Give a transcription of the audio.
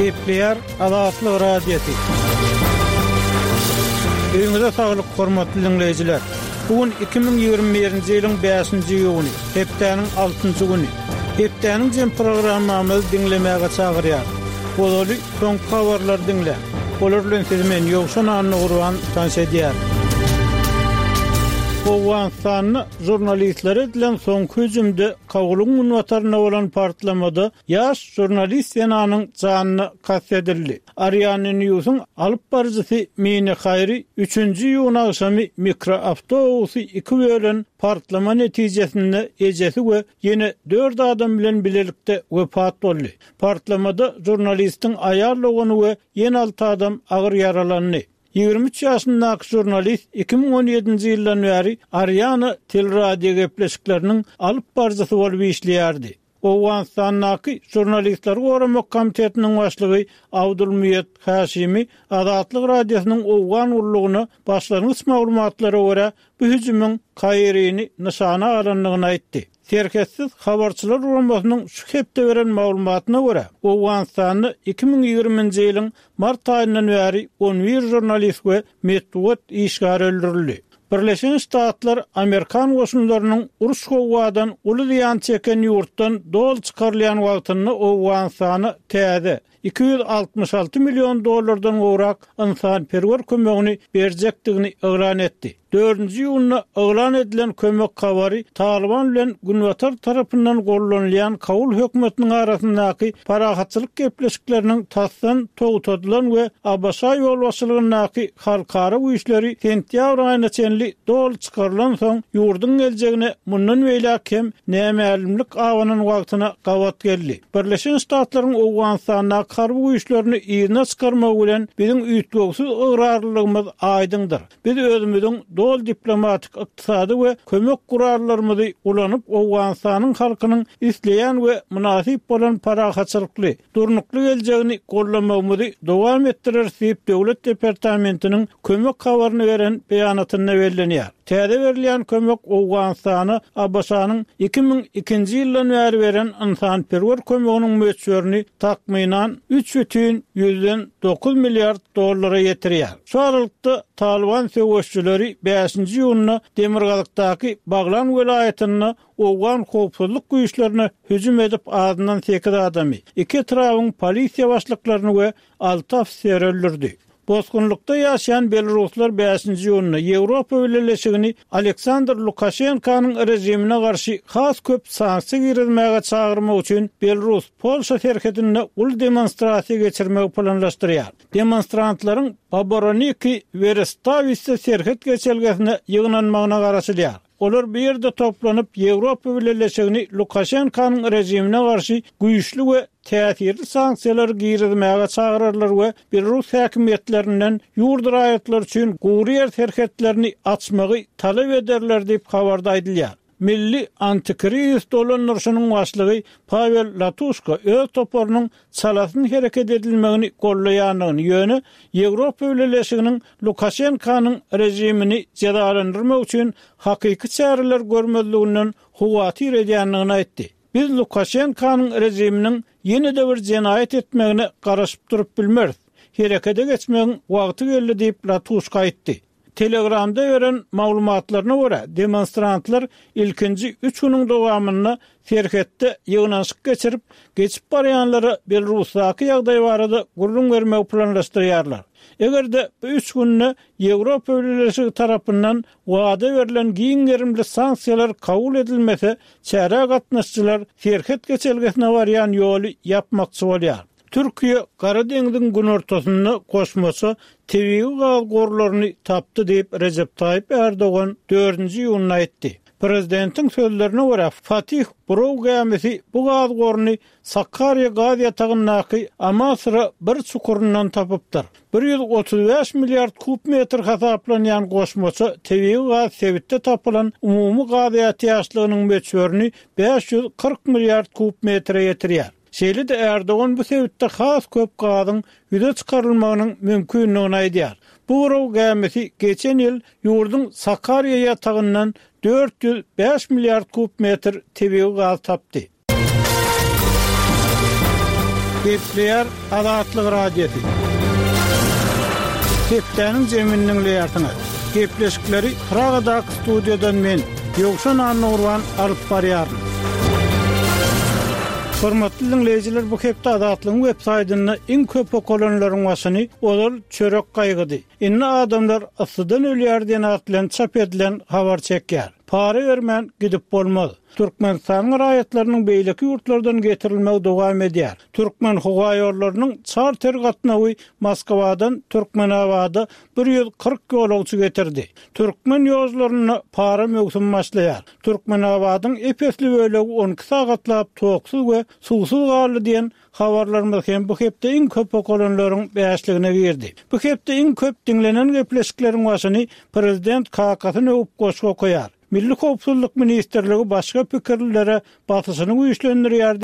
Gepleýär Azatlyk Radiosy. Öýüňize saglyk, hormatly diňleýjiler! Bu gün 2021-nji ýylyň bäşinji iýuny, hepdäniň altynjy güni. Hepdäniň jem programmamyzy diňlemäge çagyrýarys. Ozaly soňky habarlary diňläň. Olar bilen sizi men, Ýowşan Annagurban, tanyş edýärin. Owganystanda žurnalistlere edilen soňky hüjümde Kabulyň günbatarynda bolan partlamada ýaş žurnalist zenanyň janyna kast edildi. Ariana Newsiň alyp baryjysy Mine Haýri üçünji iýun agşamy mikroawtobusy iki bölen partlama netijesinde ejesi we ýene dört adam bilen bilelikde wepat boldy. Partlamada žurnalistiň aýal dogany we ýene alty adam agyr ýaralandy. 23 ýaşyndaky žurnalist 2017-nji ýyldan bäri Ariana teleradiogepleşikleriniň alyp baryjysy bolup işleýärdi. Owganystandaky Žurnalistleri goramak komitetiniň başlygy Abdul Muýed Haşimi Azatlyk Radiosynyň Owgan gullugyna başlangyç maglumatlara görä, bu hüjümiň Kairini nyşana alandygyny aýtdy. Serhetsiz habarçylar guramasynyň şu hepde beren maglumatyna görä, Owganystanda 2020-nji ýylyň mart aýyndan bäri on bir žurnalist we metbugat işgäri öldürildi. Birleşen Ştatlar amerikan goşunlarynyň uruş-gowgadan uly zyýan çeken ýurtdan doly çykarylýan wagtynda Owganystana täze, 266 million dollardan gowrak ynsanperwer kömegini berjekdigini yglan etdi. Dördünji iýunda yglan edilen kömek habary Talyban bilen Günbatar tarapyndan gollanylýan Kabul hökümetiniň arasyndaky parahatçylyk gepleşikleriniň tasdan togtadylan we ABŞ ýolbaşçylygyndaky halkara güýçleri sentýabr aýyna çenli doly çykarylansoň, ýurduň geljegine mundan beýläk hem nämälimlik abanan wagtyna gabat geldi. Birleşen Ştatlaryň Owganystandaky harby güýçlerini yzyna çykarmagy bilen biziň üýtgewsiz ygrarlylygymyz aýdyňdyr. Biz özümiziň doly diplomatik, ykdysady we kömek gurallarymyzy ulanyp, Owganystanyň halkynyň isleýän we mynasyp bolan parahatçylykly, durnukly geljegini gollamagymyzy dowam etdireris diýip, Döwlet departamentiniň kömek habaryny beren beýanatynda bellenýär. Täze berilýän kömek Owganystana ABŞ-nyň 2002-nji ýyldan bäri beren ynsanperwer kömeginiň möçberini takmynan üç bütin ýüzden dokuz milliard dollara ýetirýär. Şu aralykda, Talyban söweşijileri bäşinji iýunda demirgazykdaky Baglan welaýatynda owgan howpsuzlyk güýçlerine hüjüm edip, azyndan sekiz adamy, iki etrabyň polisiýa başlyklaryny we alty ofiseri öldürdi. Bosgunlykda ýaşaýan belaruslar bäşinji iýunda Ýewropa Bileleşigini Aleksandr Lukaşenkanyň režimine garşy has köp sanksiýa girizmäge çagyrmak üçin Belarus-Polşa serhedinde uly demonstrasiýa geçirmegi planlaşdyrýar. Demonstrantlaryň Baboroniki Werestawisse serhet geçelgesine ýygnanmagyna garaşylýar. Olar bu ýerde toplanyp, Ýewropa Bileleşigini Lukaşenkanyň režimine garşy güýçli we täsirli sanksiýalary girizmäge çagyrarlar we belarus häkimiýetlerinden ýurt raýatlary üçin gury ýer serhetlerini açmagy talap ederler diýip, habarda aýdylýar. Milli antikrizis dolandyryşynyň başlygy Pawel Latuşka öz toparynyň çalasyn hereket edilmegini goldaýandygyny, ýöne Ýewropa Bileleşiginiň Lukaşenkanyň režimini jezalandyrmak üçin hakyky çäreler görmezliginden howatyr edýändigini aýtdy. Biz Lukaşenkanyň režiminiň ýene-de bir jenaýat etmegine garaşyp durup bilmeris. Herekete geçmegiň wagty geldi diýip, Latuşka aýtdy. Telegramda beren maglumatlaryna görä, demonstrantlar ilkinji üç günüň dowamynda serhetde ýygnanyşyk geçirip, geçip barýanlara Belarusdaky ýagdaý barada gürrüň bermegi planlaşdyrýarlar. Eger-de bu üç günde Ýewropa Bileleşigi tarapyndan wada berlen giň gerimli sanksiýalar kabul edilmese, çärä gatnaşyjylar serhet geçelgesine barýan ýoly ýapmakçy bolýar. Türkiýe Gara deňziň günortasynda goşmaça tebigy gaz gorlaryny tapdy diýip, Rejep Taýyp Ärdogan dördünji iýunda aýtdy. Prezidentiň sözlerine görä, Fatih buraw gämisi bu gaz goruny Sakarýa gaz ýatagyndaky Amasra bir çukuryndan tapypdyr. 135 milliard kub metr hasaplanýan goşmaça tebigy gaz sebitde tapylan umumy gaz ätiýaçlygynyň möçberini 540 milliard kub metre ýetirýär. Şeýle-de Ärdogan bu sebitde has köp gazyň ýüze çykarylmagynyň mümkindigini aýdýar. Bu buraw gämisi geçen ýyl ýurduň Sakarýa ýatagyndan 405 milliard kub metr tebigy gaz tapdy. Gepleýär Azatlyk Radiosy. Hepdäniň jemini diňleýärsiňiz. Gepleşikleri Pragadaky studiýadan men, Ýowşan Annagurban alyp barýaryn. Hormatly diňleýjiler, bu hepde Azatlygyň web saýtynda iň köp okalanlaryň başyny ozal çörek gaýgydy, indi adamlar yssydan ölýär diýen at bilen çap edilen habar çekýär. Para bermän gidip bolmaz. Türkmenistanyň raýatlarynyň beýleki ýurtlardan getirilmegi dowam edýär. Türkmenhowaýollarynyň çarter gatnawy Moskwadan Türkmenabada 140 ýolagçy getirdi. Türkmen ýollarynda para möwsümi başlaýar. Türkmenabadyň ep-esli bölegi 12 sagatlap toksuz we suwsuz galdy diýen habarlarymyz hem bu hepde iň köp okalanlaryň bäşligine girdi. Bu hepde iň köp diňlenen gepleşikleriň başyny Prezident kakasyny öwüp goşgy okaýar. Milli howpsuzlyk ministrligi başga pikirlilere basyşyny güýçlendirýär.